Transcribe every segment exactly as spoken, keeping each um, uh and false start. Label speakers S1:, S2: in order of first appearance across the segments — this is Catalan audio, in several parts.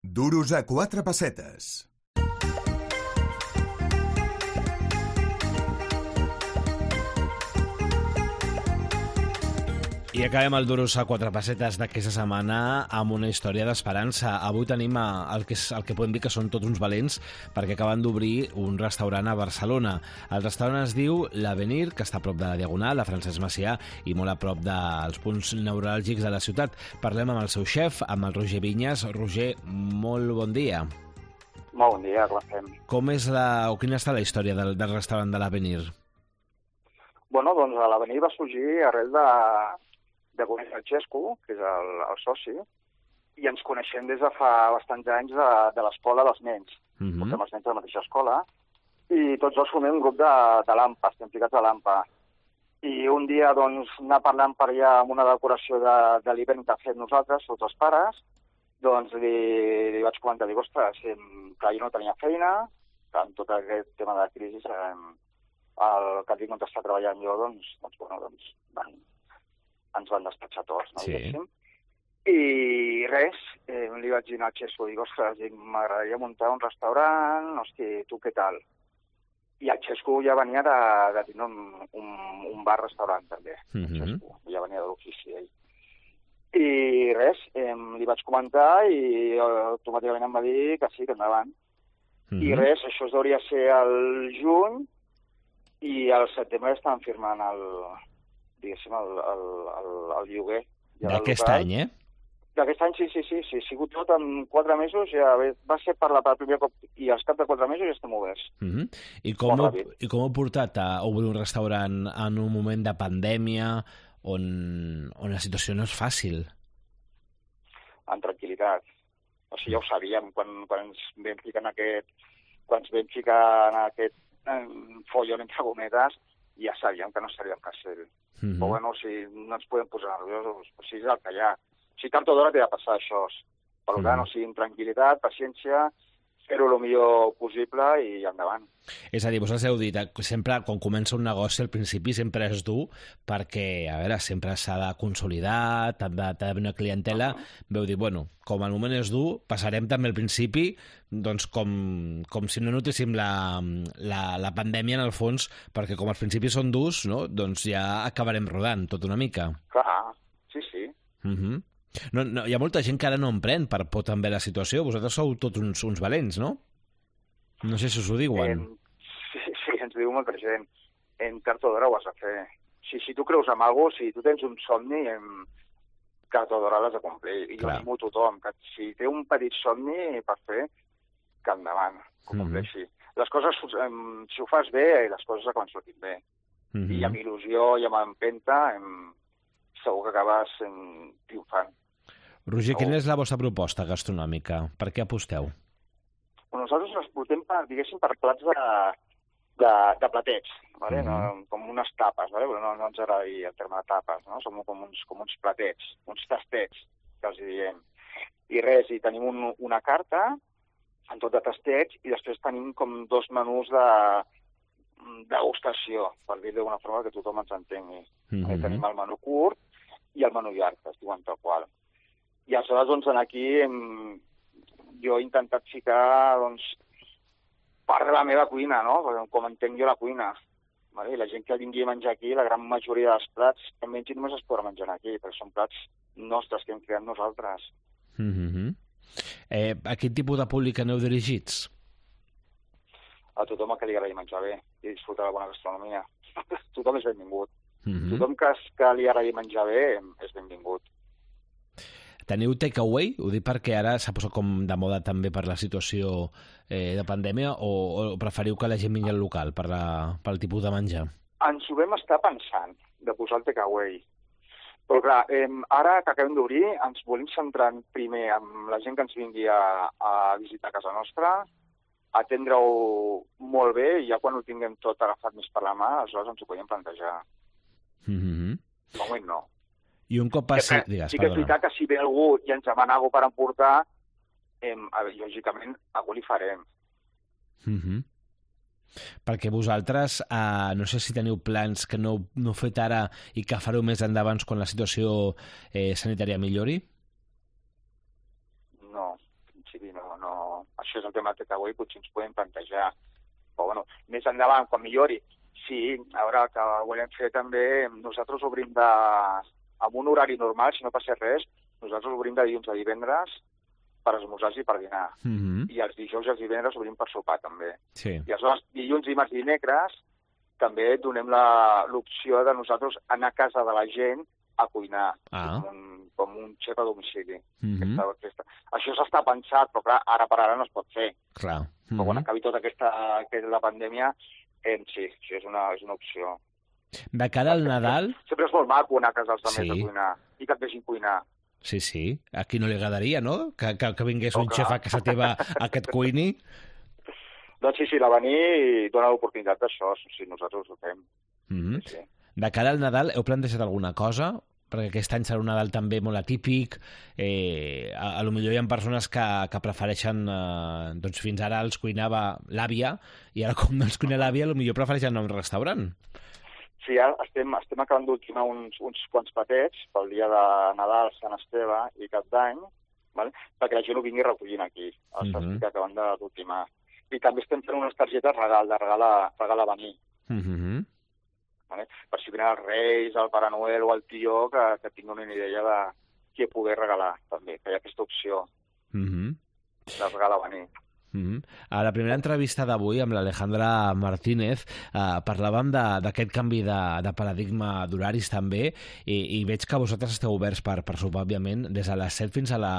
S1: Duros a quatre pessetes.
S2: I acabem el Duros a quatre pessetes d'aquesta setmana amb una història d'esperança. Avui tenim el que, és, el que podem dir que són tots uns valents perquè acaben d'obrir un restaurant a Barcelona. El restaurant es diu L'Avenir, que està a prop de la Diagonal, a Francesc Macià, i molt a prop dels punts neuràlgics de la ciutat. Parlem amb el seu xef, amb el Roger Vinyes. Roger, molt bon dia.
S3: Molt bon dia, com estem?
S2: Com és la, o quina està la història del, del restaurant de L'Avenir?
S3: Bueno, doncs l'Avenir va sorgir arrel de... de conèixer el Xesco, que és el, el soci, i ens coneixem des de fa bastants anys de, de l'escola dels nens.
S2: Mm-hmm.
S3: Portem els nens de la mateixa escola, i tots dos formem un grup de, de l'AMPA, estem ficats a l'AMPA. I un dia, doncs, anar parlant per allà amb una decoració de, de l'hivern que fem nosaltres, tots els pares, doncs li, li vaig comentar, dic, ostres, que jo no tenia feina, que amb tot aquest tema de crisi, el que tinc on està treballant jo, doncs, doncs, bueno, doncs, van... ens van despatxar tots, no?
S2: Sí.
S3: I res, eh, li vaig dir al Xesco, dic, ostres, m'agradaria muntar un restaurant, hosti, tu què tal? I el Xesco ja venia de, de tenir un, un, un bar-restaurant, també.
S2: Mm-hmm.
S3: El Xesco, ja venia de l'ofici, ell. I res, eh, li vaig comentar i automàticament em va dir que sí, que endavant. Mm-hmm. I res, això es hauria ser el juny i al setembre estan firmant el... diguéssim, el, el, el, el lloguer.
S2: D'aquest any, eh?
S3: D'aquest any, sí, sí, sí, sí. Ha sigut tot en quatre mesos, ja va ser per la per primer cop, i als cap de quatre mesos ja estem oberts.
S2: Mm-hmm. I, com heu, I com heu portat a obrir un restaurant en un moment de pandèmia on, on la situació no és fàcil?
S3: En tranquil·litat. O sigui, ja ho sabíem, quan, quan ens vam ficar en aquest, quan ens vam ficar en aquest en follon entre gometes, ja sabíem que no estaríem fàcil. Mm-hmm. Però bueno, si no ens podem posar nerviosos, o sigui, és el que hi ha. O sigui, tard o d'hora t'ha de passar això. Per tant, mm-hmm. o sigui, amb tranquil·litat, paciència, fer-ho el millor possible i endavant.
S2: És a dir, vosaltres heu dit, sempre, quan comença un negoci, al principi sempre és dur, perquè, a veure, sempre s'ha de consolidar, t'ha d'haver una clientela. Uh-huh. Veu dir, bueno, com el moment és dur, passarem també al principi, doncs com, com si no notéssim la, la, la pandèmia en el fons, perquè com els principis són durs, no? Doncs ja acabarem rodant tot una mica.
S3: Clar, sí, sí.
S2: Uh-huh. No, no, hi ha molta gent que ara no emprèn per por també la situació. Vosaltres sou tots uns, uns valents, no? No sé si us ho diuen.
S3: Eh, sí, sí, ens diu molta gent. En tard o d'hora ho has de fer. Si, si tu creus en alguna cosa, si tu tens un somni, en tard o d'hora l'has de complir. I jo animo a tothom, que si té un petit somni per fer, que endavant, que ho compleixi. Mm-hmm. Les coses, si ho fas bé, les coses acaben sortint bé. Mm-hmm. I amb il·lusió i amb empenta, em, segur que acabes triomfant.
S2: Roger, quina és la vostra proposta gastronòmica? Per què aposteu?
S3: Nosaltres les portem, per, diguéssim, per plats de, de, de platets, ¿vale? Mm-hmm. no, com unes tapes, ¿vale? no, no ens agrada dir el terme de tapes, no? Som com uns, com uns platets, uns tastets, que els diem. I res, i tenim un, una carta en tot de tastets i després tenim com dos menús de degustació, per dir d'una forma que tothom ens entengui. Mm-hmm. Tenim el menú curt i el menú llarg, que es diuen tal qual. I aleshores, doncs, aquí hem, jo he intentat ficar, doncs, part de la meva cuina, no? Com entenc jo la cuina. Vale? La gent que vingui a menjar aquí, la gran majoria dels plats que mengi només es podrà menjar aquí, perquè són plats nostres que hem creat nosaltres.
S2: Mm-hmm. eh, a quin tipus de públic aneu dirigits?
S3: A tothom que li agradi menjar bé i disfrutar de la bona gastronomia. Tothom és benvingut. Mm-hmm. Tothom que, que li agradi menjar bé és benvingut.
S2: Teniu takeaway? Ho dic perquè ara s'ha posat com de moda també per la situació eh, de pandèmia, o, o preferiu que la gent vingui al local per la, pel tipus de menjar?
S3: Ens ho vam estar pensant, de posar el takeaway. Però clar, eh, ara que acabem d'obrir, ens volem centrar primer amb la gent que ens vingui a, a visitar casa nostra, atendre-ho molt bé, i ja quan ho tinguem tot agafat més per la mà, aleshores ens ho podem plantejar.
S2: Mm-hmm.
S3: De moment no.
S2: I un cop passi...
S3: Que,
S2: Digues,
S3: sí que és veritat que si ve algú i ens demana alguna per emportar, eh, lògicament, algú li farem.
S2: Mm-hmm. Perquè vosaltres, eh, no sé si teniu plans que no, no heu fet ara i que fareu més endavant quan la situació eh, sanitària millori?
S3: No, en principi no. no, no... Això és el tema que avui potser ens podem plantejar. Però, bueno, més endavant, quan millori, sí, a veure, que volem fer també... Nosaltres obrim de... amb un horari normal, si no passa res, nosaltres obrim de dilluns a divendres per esmorzars i per dinar.
S2: Mm-hmm.
S3: I els dijous i els divendres obrim per sopar, també.
S2: Sí.
S3: I aleshores, dilluns, dimarts i dimecres, també donem la- l'opció de nosaltres anar a casa de la gent a cuinar,
S2: Ah.
S3: com, un, com un xef a domicili.
S2: Mm-hmm.
S3: Aquesta, aquesta. Això s'està pensat, però clar, ara per ara no es pot fer.
S2: Clar.
S3: Però quan
S2: Mm-hmm.
S3: acabi tota aquesta, aquesta la pandèmia, eh, sí, sí, és una, és una opció.
S2: De cara al Nadal...
S3: Sempre és molt maco anar a casa dels
S2: Sí.
S3: altres a cuinar i que et vegin cuinar.
S2: Sí, sí. A qui no li agradaria, no? Que, que, que vingués
S3: Oh,
S2: un
S3: clar.
S2: xef a casa teva a que et cuini.
S3: Doncs sí, sí, la venir i dona l'oportunitat d'això, sí, nosaltres ho fem.
S2: Mm-hmm.
S3: Sí.
S2: De cara al Nadal, heu plantejat alguna cosa? Perquè aquest any serà un Nadal també molt atípic. Eh, a, a lo millor hi ha persones que, que prefereixen... Eh, doncs fins ara els cuinava l'àvia, i ara com no els cuina l'àvia, a lo millor prefereixen anar a un restaurant.
S3: Sí, ara estem, estem acabant d'ultimar uns, uns quants patets pel dia de Nadal, Sant Esteve i Cap d'Any, vale? Perquè la gent ho vingui recollint aquí. Els
S2: Mhm.
S3: estic acabant de- d'ultimar. I també estem fent unes targetes regal, de regal a, regal a venir.
S2: Mm-hmm.
S3: Vale? Per si venen els Reis, el Pare Noel o el Tió, que, que tinguin una idea de què poder regalar, també, que hi ha aquesta opció
S2: Mm-hmm.
S3: de regal a venir.
S2: Mm-hmm. A la primera entrevista d'avui amb l'Alejandra Martínez eh, parlàvem de- d'aquest canvi de, de paradigma d'horaris també, i, i veig que vosaltres esteu oberts per, per sopar, òbviament, des de les set fins a, la,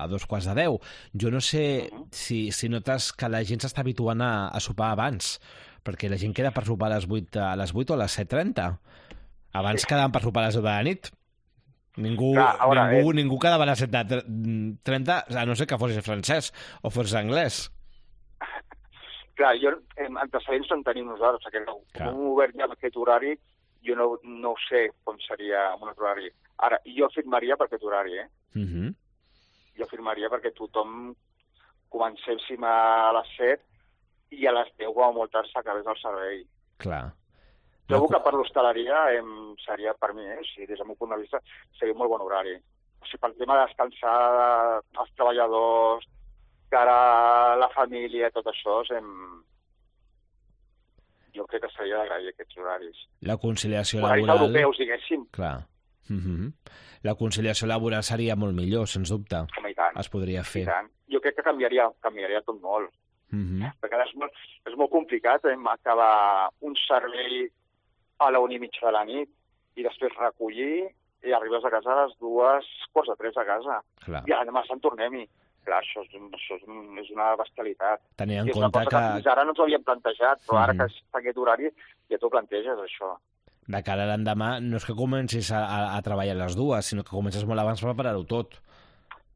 S2: a dos quarts de deu. Jo no sé
S3: Mhm.
S2: si, si notes que la gent s'està habituant a, a sopar abans, perquè la gent queda per sopar a les vuit, a les vuit o a les set trenta. Abans
S3: Sí.
S2: quedaven per sopar a les deu de la nit. Ningú,
S3: Clar, a veure,
S2: ningú,
S3: eh.
S2: ningú quedava a les set trenta, a no ser que fos francès o fos anglès.
S3: Clar, jo, eh, antecedents en tenim nosaltres, perquè no,
S2: Clar.
S3: com hem obert ja amb aquest horari, jo no, no ho sé com seria amb un altre horari. Ara, jo firmaria per aquest horari, eh?
S2: Mm-hmm.
S3: Jo firmaria perquè tothom comencéssim a les set i a les deu, com a molt tard, s'acabés el servei.
S2: Clar.
S3: Trobo que per l'hostaleria em, seria, per mi, eh, si des del meu punt de vista, seria un molt bon horari. O sigui, pel tema de descansar els treballadors, cara a la família, tot això, em... jo crec que seria d'agrair aquests horaris.
S2: La conciliació
S3: Horaris
S2: laboral...
S3: europeus, diguéssim,
S2: Clar. Mm-hmm. La conciliació laboral seria molt millor, sens dubte.
S3: com i tant.
S2: Es podria
S3: I
S2: fer.
S3: tant. Jo crec que canviaria, canviaria tot molt.
S2: Mm-hmm.
S3: Perquè ara és molt, és molt complicat eh, acabar un servei a la una i mitja de la nit i després recollir i arribes a casa a les dues, quarts de tres a casa.
S2: Clar.
S3: I demà se'n tornem-hi. Clar, això és, un- això és, un, és una bestialitat.
S2: Tenint en
S3: I és una
S2: compte
S3: cosa que...
S2: que
S3: fins ara no ens ho havíem plantejat, però ara
S2: Mhm.
S3: que està aquest horari ja t'ho planteges, això.
S2: de cara a l'endemà no és que comencis a, a, a treballar a les dues, sinó que comences molt abans per preparar-ho tot.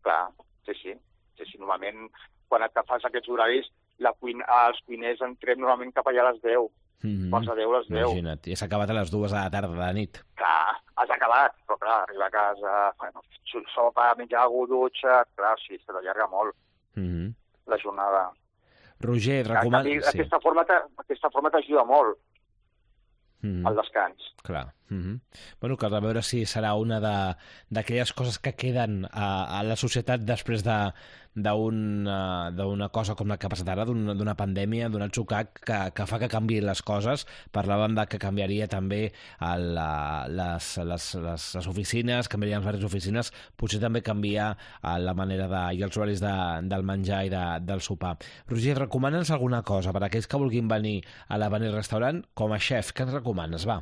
S3: Clar, sí, sí. sí, sí. Normalment, quan et fas aquests horaris, la cuina, els cuiners entrem normalment cap allà a les deu.
S2: Mm-hmm.
S3: Quarts de deu a les deu.
S2: Imagina't, i s'ha acabat a les dues de la tarda de la nit.
S3: Clar, has acabat, però clar, arribar a casa, bueno, sopa, menjar alguna dutxa, clar, sí, se t'allarga molt
S2: Mm-hmm.
S3: la jornada.
S2: Roger,
S3: Clar,
S2: recomana...
S3: sí. Aquesta forma t'a- aquesta forma t'ajuda molt
S2: Mm-hmm.
S3: al descans.
S2: Clar. Mm-hmm. Bueno, cal veure si serà una de- d'aquelles coses que queden a, a la societat després de d'una d'una cosa com la que ha passat ara, d'un- d'una pandèmia, d'un atzucac que, que fa que canviïn les coses. Parlàvem de que canviaria també el, la, les, les, les, les oficines, canviarien les diverses oficines, potser també canviar eh, la manera de, i els horaris de, del menjar i de, del sopar. Roger, recomana'ns alguna cosa per a aquells que vulguin venir a l'Avenir Restaurant com a xef. Què ens recomanes, va?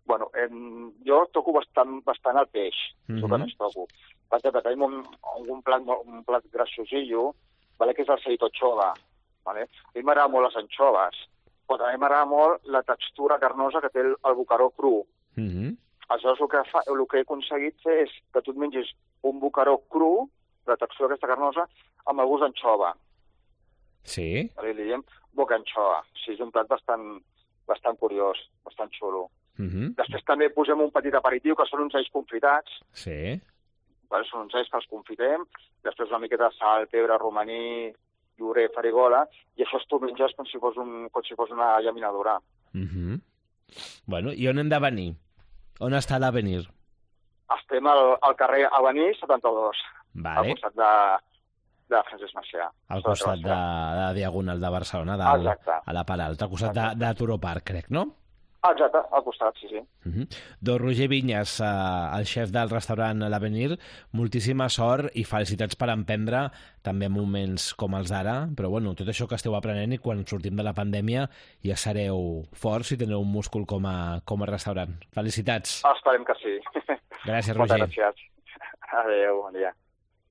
S3: Bueno, em, jo toco bastant, bastant el peix, és el que
S2: Mhm.
S3: més toco. Per exemple, tenim un, un, plat, molt- un plat grassosillo, vale, que és el ceitochova. Vale? A mi m'agrada molt les anxoves, però també m'agrada molt la textura carnosa que té el, el bocaró cru.
S2: Mm-hmm.
S3: Aleshores, el que, fa, el que he aconseguit fer és que tu et mengis un bocaró cru, la textura aquesta carnosa, amb el gust d'anxova.
S2: Sí?
S3: Vale? Li diem boca anxova. Sí, és un plat bastant, bastant curiós, bastant xulo.
S2: Mm-hmm.
S3: Després també posem un petit aperitiu, que són uns alls confitats.
S2: Sí?
S3: Vale? Són uns alls que els confitem. Després una miqueta de sal, pebre, romaní, llorer, farigola, i això tu menges com si fos, un, com si fos una llaminadura.
S2: Mm-hmm. Bueno, i on hem de venir? On està l'Avenir?
S3: Estem al, al carrer Avenir setanta-dos, al
S2: Vale.
S3: costat de, de Francesc Macià.
S2: Al costat de, de la Diagonal de Barcelona, del,
S3: Exacte.
S2: a la part alta, al costat de, de Turó Park, crec, no?
S3: Exacte, al costat, sí, sí.
S2: Uh -huh. Doncs Roger Vinyes, eh, el xef del restaurant L'Avenir, moltíssima sort i felicitats per emprendre també en moments com els d'ara, però bueno, tot això que esteu aprenent i quan sortim de la pandèmia ja sereu forts i tindreu un múscul com a, com a restaurant. Felicitats.
S3: Esperem que sí.
S2: Gràcies,
S3: Moltes
S2: Roger.
S3: gràcies. Adéu, bon dia.